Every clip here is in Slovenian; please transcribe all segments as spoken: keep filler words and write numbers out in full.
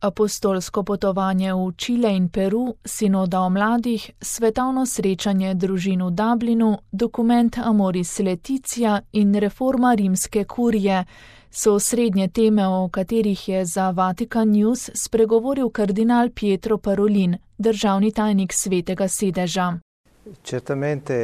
Apostolsko potovanje v Čile in Peru, sinoda o mladih, svetovno srečanje družin v Dublinu, dokument Amoris Laetitia in reforma rimske kurije so osrednje teme, o katerih je za Vatikan News spregovoril kardinal Pietro Parolin, državni tajnik Svetega sedeža. Certamente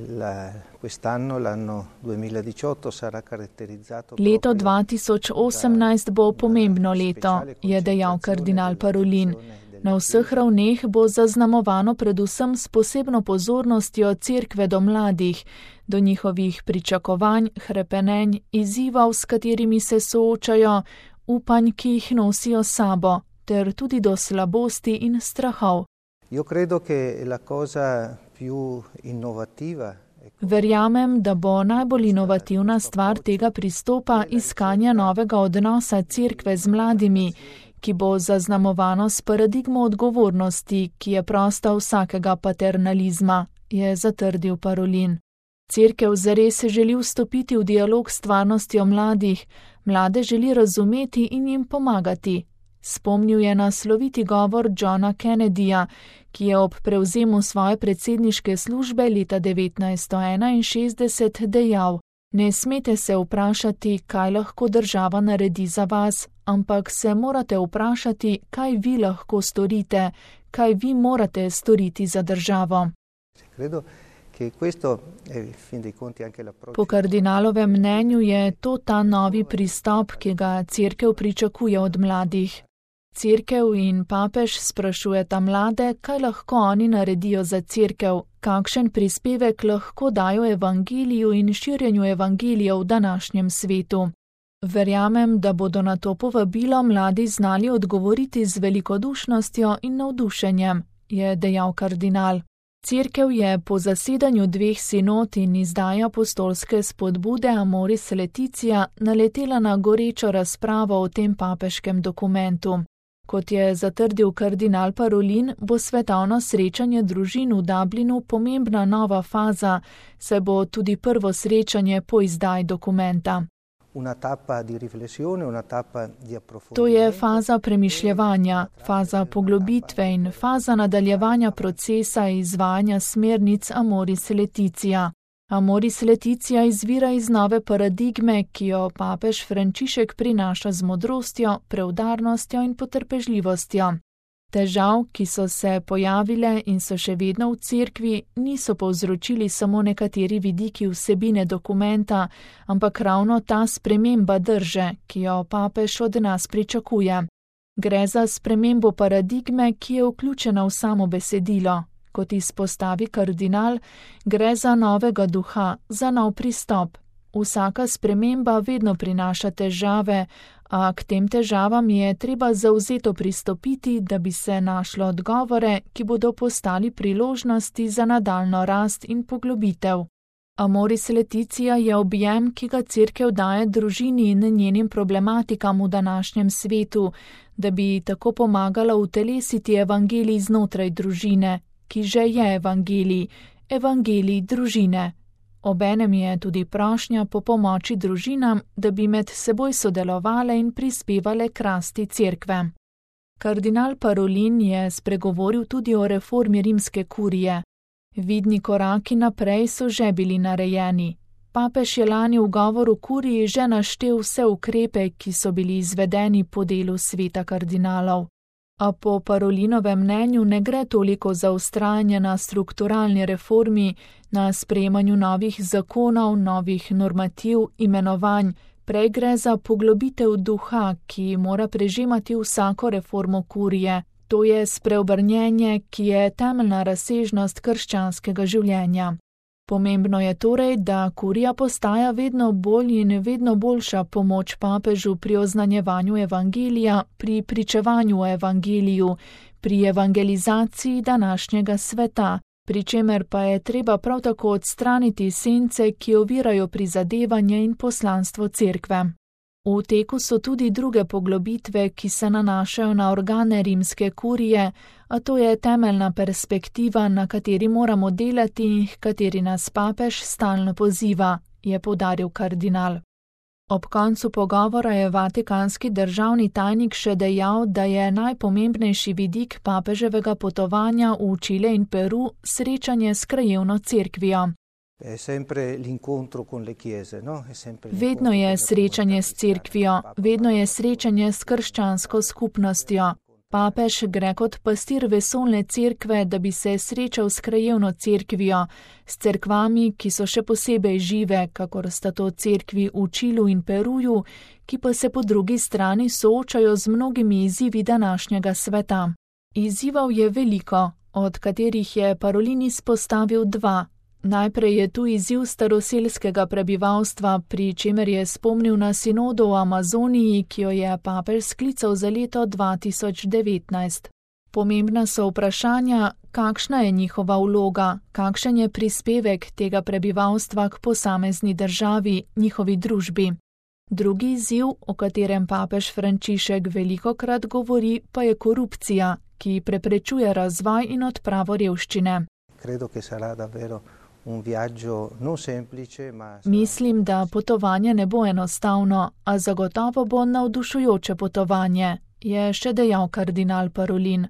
la, quest'anno, l'anno duemiladiciotto, sarà caratterizzato. Leto dva tisoč osemnajst bo pomembno leto, je dejal kardinal Parolin. Na vseh ravneh bo zaznamovano predvsem s posebno pozornostjo Cerkve do mladih, do njihovih pričakovanj, hrepenenj, izzivov, s katerimi se soočajo, upanj, ki jih nosijo sabo, ter tudi do slabosti in strahov. Io credo che la cosa più innovativa. Verjamem, da bo najbolj inovativna stvar tega pristopa iskanja novega odnosa Cerkve z mladimi, ki bo zaznamovano s paradigmo odgovornosti, ki je prosta vsakega paternalizma, je zatrdil Parolin. Cerkev zares želi vstopiti v dialog s stvarnostjo mladih, mlade želi razumeti in jim pomagati. Spomnil je na sloviti govor Johna Kennedyja, ki je ob prevzemu svoje predsedniške službe leta devetnajststo enainšestdeset dejal: Ne smete se vprašati, kaj lahko država naredi za vas, ampak se morate vprašati, kaj vi lahko storite, kaj vi morate storiti za državo. Po kardinalovem mnenju je to ta novi pristop, ki ga Cerkev pričakuje od mladih. Cerkev in papež sprašujeta mlade, kaj lahko oni naredijo za Cerkev, kakšen prispevek lahko dajo evangeliju in širjenju evangelija v današnjem svetu. Verjamem, da bodo na to povabilo mladi znali odgovoriti z velikodušnostjo in navdušenjem, je dejal kardinal. Cerkev je po zasedanju dveh sinod in izdaji apostolske spodbude Amoris Laetitia naletela na gorečo razpravo o tem papeškem dokumentu. Kot je zatrdil kardinal Parolin, bo svetovno srečanje družin v Dublinu pomembna nova faza, saj bo tudi prvo srečanje po izdaji dokumenta. To je faza premišljevanja, faza poglobitve in faza nadaljevanja procesa izvajanja smernic Amoris Laetitia. Amoris Laetitia izvira iz nove paradigme, ki jo papež Frančišek prinaša z modrostjo, preudarnostjo in potrpežljivostjo. Težav, ki so se pojavile in so še vedno v Cerkvi, niso povzročili samo nekateri vidiki vsebine dokumenta, ampak ravno ta sprememba drže, ki jo papež od nas pričakuje. Gre za spremembo paradigme, ki je vključena v samo besedilo. Kot izpostavi kardinal, gre za novega duha, za nov pristop. Vsaka sprememba vedno prinaša težave, a k tem težavam je treba zavzeto pristopiti, da bi se našlo odgovore, ki bodo postali priložnosti za nadaljnjo rast in poglobitev. Amoris Laetitia je objem, ki ga Cerkev daje družini in njenim problematikam v današnjem svetu, da bi tako pomagala utelesiti evangelij znotraj družine, ki že je evangelij, evangelij družine. Obenem je tudi prošnja po pomoči družinam, da bi med seboj sodelovale in prispevale k rasti Cerkve. Kardinal Parolin je spregovoril tudi o reformi rimske kurije. Vidni koraki naprej so že bili narejeni. Papež je lani v govoru kuriji že naštel vse ukrepe, ki so bili izvedeni po delu sveta kardinalov. A po Parolinovem mnenju ne gre toliko za vztrajanje na strukturalni reformi, na sprejemanju novih zakonov, novih normativ, imenovanj, prej gre za poglobitev duha, ki mora prežemati vsako reformo kurije, to je spreobrnjenje, ki je temeljna razsežnost krščanskega življenja. Pomembno je torej, da kurija postaja vedno bolj in vedno boljša pomoč papežu pri oznanjevanju evangelija, pri pričevanju o evangeliju, pri evangelizaciji današnjega sveta, pri čemer pa je treba prav tako odstraniti sence, ki ovirajo prizadevanje in poslanstvo Cerkve. V teku so tudi druge poglobitve, ki se nanašajo na organe rimske kurije, a to je temeljna perspektiva, na kateri moramo delati in h kateri nas papež stalno poziva, je poudaril kardinal. Ob koncu pogovora je vatikanski državni tajnik še dejal, da je najpomembnejši vidik papeževega potovanja v Čile in Peru srečanje s krajevno cerkvijo. Vedno je srečanje s cerkvijo, vedno je srečanje s krščansko skupnostjo. Papež gre kot pastir vesoljne cerkve, da bi se srečal s krajevno cerkvijo, s cerkvami, ki so še posebej žive, kakor sta to cerkvi v Čilu in Peruju, ki pa se po drugi strani soočajo z mnogimi izzivi današnjega sveta. Izzivov je veliko, od katerih je Parolin izpostavil dva. Najprej je tu izziv staroselskega prebivalstva, pri čemer je spomnil na sinodo v Amazoniji, ki jo je papež sklical za leto dva tisoč devetnajst. Pomembna so vprašanja, kakšna je njihova vloga, kakšen je prispevek tega prebivalstva k posamezni državi, njihovi družbi. Drugi izziv, o katerem papež Frančišek velikokrat govori, pa je korupcija, ki preprečuje razvoj in odpravo revščine. Mislim, da potovanje ne bo enostavno, a zagotovo bo navdušujoče potovanje, je še dejal kardinal Parolin.